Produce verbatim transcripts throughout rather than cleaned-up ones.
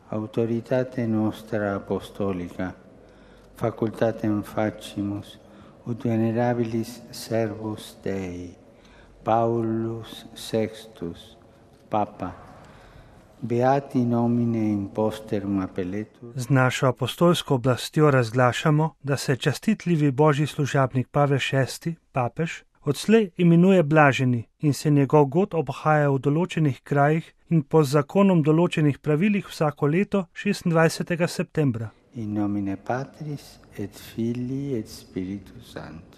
autoritate nostra apostolica, facultatem facimus, ut venerabilis servus Dei, Paulus sextus, Papa, beati nomine imposterum appelletur. Z našo apostolsko oblastjo razglašamo, da se častitljivi božji služabnik Pavel šesti, papež, odslej imenuje blaženi in se njegov god obhaja v določenih krajih in po zakonom določenih pravilih vsako leto šestindvajsetega septembra. In nomine Patris et Filii et Spiritus Sancti.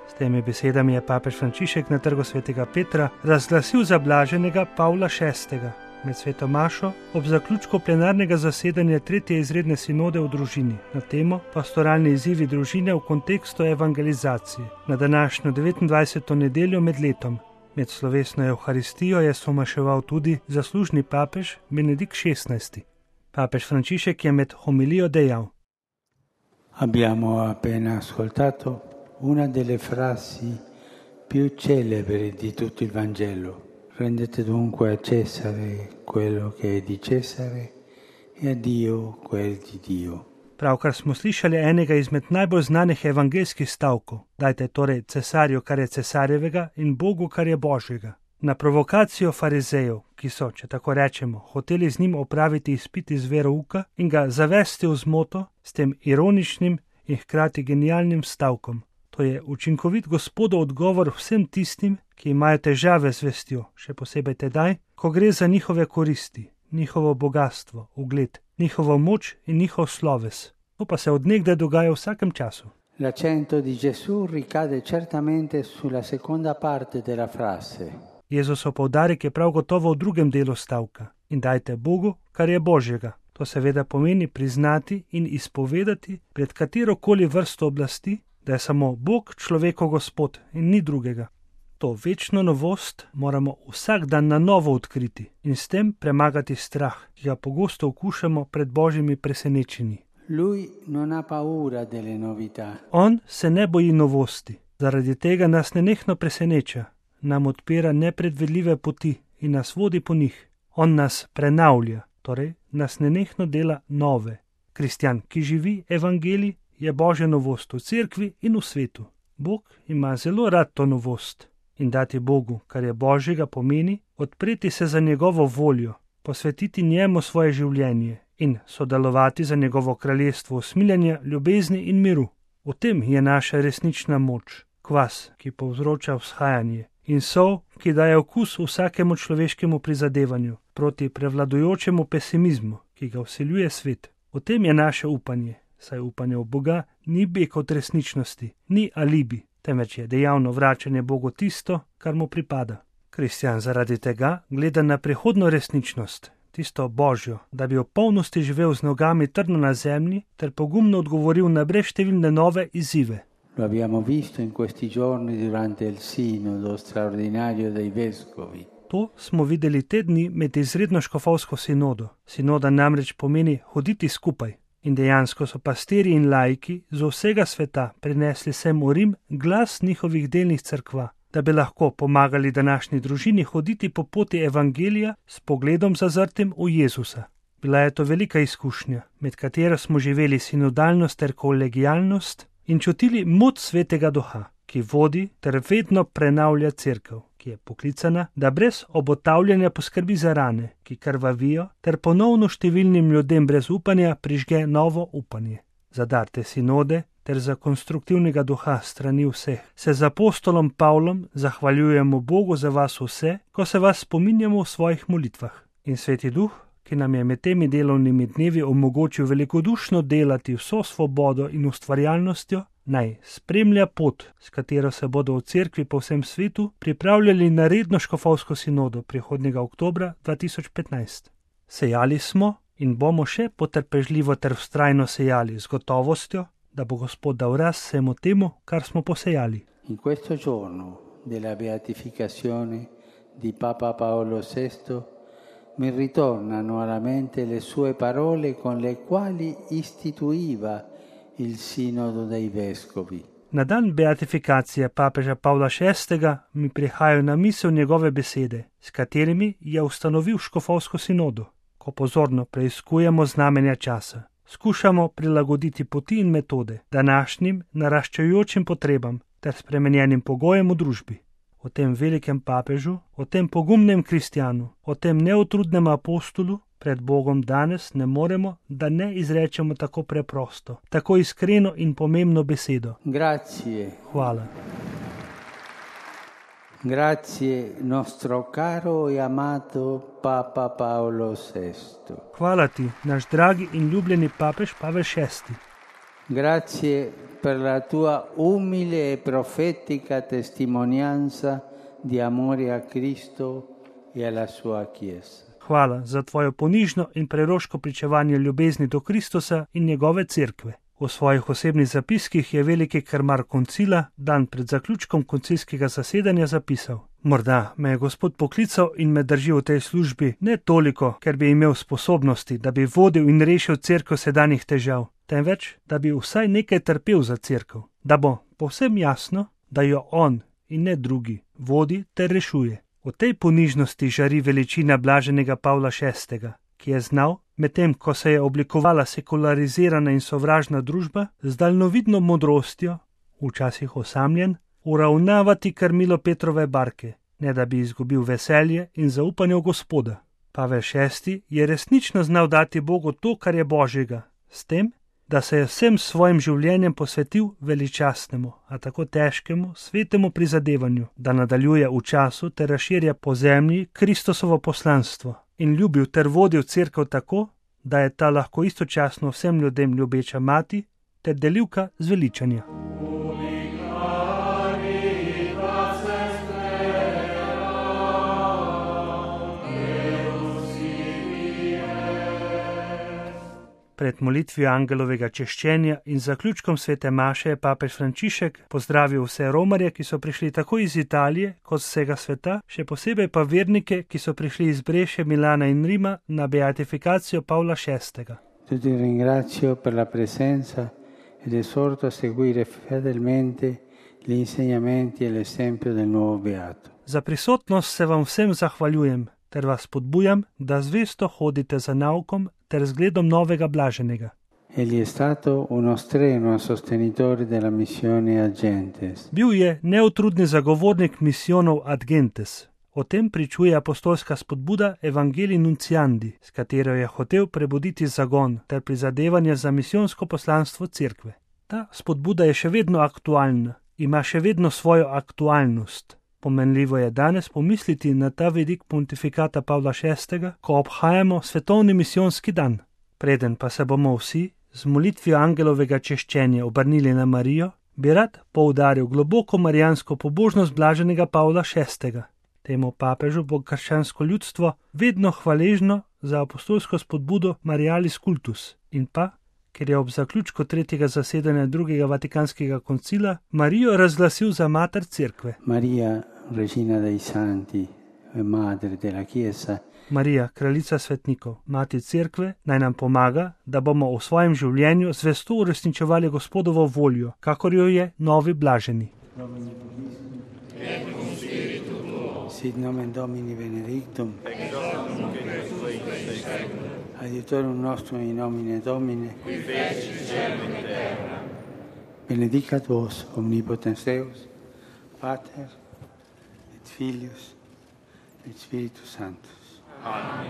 S temi besedami je papež Frančišek na trgu svetega Petra razglasil za blaženega Pavla šestega med sveto mašo ob zaključku plenarnega zasedanja tretje izredne sinode v družini na temo Pastoralni izzivi družine v kontekstu evangelizacije na današnjo devetindvajseto nedeljo med letom. Med slovesno evharistijo je somaševal tudi zaslužni papež Benedikt šestnajsti. Papež Frančišek je med homilijo dejal: Abbiamo appena ascoltato una delle frasi più celebri di tutto il Vangelo. Rendete dunque a Cesare quello che è di Cesare e a Dio quel di Dio. Pravkar smo slišali enega izmed najbolj znanih evangeljskih stavkov. Dajte torej cesarju, kar je cesarjevega, in Bogu, kar je Božjega. Na provokacijo farizejev, ki so, če tako rečemo, hoteli z njim opraviti izpit iz verouka in ga zavesti v zmoto s tem ironičnim in hkrati genialnim stavkom. To je učinkovit Gospodov odgovor vsem tistim, ki imajo težave z vestjo, še posebej tedaj, ko gre za njihove koristi, njihovo bogastvo, ugled, njihovo moč in njihov sloves. To pa se od nekdaj dogaja v vsakem času. L'accento di Gesù ricade certamente sulla seconda parte della frase. Jezusov poudarek je prav gotovo v drugem delu stavka. In dajte Bogu, kar je Božjega. To seveda pomeni priznati in izpovedati pred katerokoli vrsto oblasti, da je samo Bog človekov Gospod in ni drugega. To večno novost moramo vsak dan na novo odkriti in s tem premagati strah, ki ga pogosto okušamo pred božjimi presenečenji. Lui non ha paura delle novità. On se ne boji novosti, zaradi tega nas nenehno preseneča, nam odpira nepredvidljive poti in nas vodi po njih. On nas prenavlja, torej nas nenehno dela nove. Kristjan, ki živi evangelij, je božja novost v cerkvi in v svetu. Bog ima zelo rad to novost. In dati Bogu, kar je Božjega, pomeni odpreti se za njegovo voljo, posvetiti njemu svoje življenje in sodelovati za njegovo kraljestvo usmiljanja, ljubezni in miru. V tem je naša resnična moč, kvas, ki povzroča vzhajanje, in sol, ki daje okus vsakemu človeškemu prizadevanju proti prevladujočemu pesimizmu, ki ga vseljuje svet. V tem je naše upanje, saj upanje v Boga ni beg od resničnosti, ni alibi, temveč je dejavno vračanje Bogu tisto, kar mu pripada. Kristjan zaradi tega gleda na prihodno resničnost, tisto Božjo, da bi v polnosti živel z nogami trdno na zemlji ter pogumno odgovoril na brezštevilne nove izzive. Lo abbiamo visto in questi giorni durante il sinodo straordinario dei vescovi. To smo videli te dni med izredno škofovsko sinodo. Sinoda namreč pomeni hoditi skupaj. In dejansko so pastirji in laiki z vsega sveta prinesli sem v Rim glas njihovih delnih cerkva, da bi lahko pomagali današnji družini hoditi po poti evangelija s pogledom zazrtim v Jezusa. Bila je to velika izkušnja, med katero smo živeli sinodalnost ter kolegijalnost in čutili moč svetega duha, ki vodi ter vedno prenavlja cerkev, ki je poklicana, da brez obotavljanja poskrbi za rane, ki krvavijo, ter ponovno številnim ljudem brez upanja prižge novo upanje. Za dar te sinode ter za konstruktivnega duha strani vseh se z apostolom Pavlom zahvaljujemo Bogu za vas vse, ko se vas spominjamo v svojih molitvah. In sveti duh, ki nam je med temi delovnimi dnevi omogočil velikodušno delati vso svobodo in ustvarjalnostjo, naj spremlja pot, s katero se bodo v cerkvi po vsem svetu pripravljali na redno škofovsko sinodo prihodnjega oktobra dva tisoč petnajst. Sejali smo in bomo še potrpežljivo ter vztrajno sejali z gotovostjo, da bo Gospod dal rast vsemu temu, kar smo posejali. In questo giorno della beatificazione di Papa Paolo sesto mi ritornano alla mente le sue parole con le quali istituiva il sinodo dei vescovi. Na dan beatifikacije papeža Pavla šestega mi prihajajo na misel njegove besede, s katerimi je ustanovil škofovsko sinodo. Ko pozorno preiskujemo znamenja časa, skušamo prilagoditi poti in metode današnjim naraščajočim potrebam ter spremenjenim pogojem v družbi. O tem velikem papežu, o tem pogumnem kristjanu, o tem neutrudnem apostolu pred Bogom danes ne moremo, da ne izrečemo tako preprosto, tako iskreno in pomembno besedo. Grazie. Hvala. Grazie nostro caro e amato Papa Paolo sesto. Hvala ti, naš dragi in ljubljeni papež Pavel šesti. Grazie per la tua umile e profetica testimonianza di amore a Cristo e alla sua Chiesa. Hvala za tvojo ponižno in preroško pričevanje ljubezni do Kristusa in njegove cerkve. V svojih osebnih zapiskih je veliki krmar koncila dan pred zaključkom koncilskega zasedanja zapisal: Morda me je Gospod poklical in me drži v tej službi ne toliko, ker bi imel sposobnosti, da bi vodil in rešil cerkev sedanjih težav, temveč, da bi vsaj nekaj trpel za cerkev, da bo povsem jasno, da jo on in ne drugi vodi ter rešuje. V tej ponižnosti žari veličina blaženega Pavla šestega, ki je znal, medtem ko se je oblikovala sekularizirana in sovražna družba, z daljnovidno modrostjo, včasih osamljen, uravnavati krmilo Petrove barke, ne da bi izgubil veselje in zaupanje v Gospoda. Pavel šesti je resnično znal dati Bogu to, kar je Božjega, s tem, da se je vsem svojim življenjem posvetil veličastnemu, a tako težkemu, svetemu prizadevanju, da nadaljuje v času ter razširja po zemlji Kristusovo poslanstvo in ljubil ter vodil cerkev tako, da je ta lahko istočasno vsem ljudem ljubeča mati ter delivka zveličanja. Pred molitvijo angelovega češčenja in zaključkom svete maše je papež Frančišek pozdravil vse romarje, ki so prišli tako iz Italije kot z vsega sveta, še posebej pa vernike, ki so prišli iz Breše, Milana in Rima na beatifikacijo Pavla šestega. Ti ringrazio per la presenza ed esorto a seguire fedelmente gli insegnamenti e l'esempio del nuovo beato. Za prisotnost se vam vsem zahvaljujem ter vas podbujam, da zvesto hodite za naukom ter zgledom novega blaženega. Egli è stato uno strenuo sostenitore della missione ad gentes. Bil je neutrudni zagovornik misijonov ad gentes. O tem pričuje apostolska spodbuda Evangelii Nunciandi, s katero je hotel prebuditi zagon ter prizadevanje za misijonsko poslanstvo cerkve. Ta spodbuda je še vedno aktualna, ima še vedno svojo aktualnost. Pomenljivo je danes pomisliti na ta vidik pontifikata Pavla šestega, ko obhajamo svetovni misijonski dan. Preden pa se bomo vsi z molitvijo angelovega češčenja obrnili na Marijo, bi rad poudaril globoko marijansko pobožnost blaženega Pavla šestega. Temu papežu bo krščansko ljudstvo vedno hvaležno za apostolsko spodbudo Marialis Cultus in pa, ker je ob zaključku tretjega zasedanja drugega vatikanskega koncila Marijo razglasil za mater cerkve. Maria, regina dei santi, madre della Chiesa. Marija, kraljica svetnikov, mati cerkve, naj nam pomaga, da bomo v svojem življenju zvesto uresničevali Gospodovo voljo, kakor jo je novi blaženi. Sit nomen Domini benedictum. Adiutorium nostrum in nomine Domine. Qui feci cielo et terra. Benedicat vos omnipotens Deus, Pater et Filius et Spiritus Sanctus. Amen.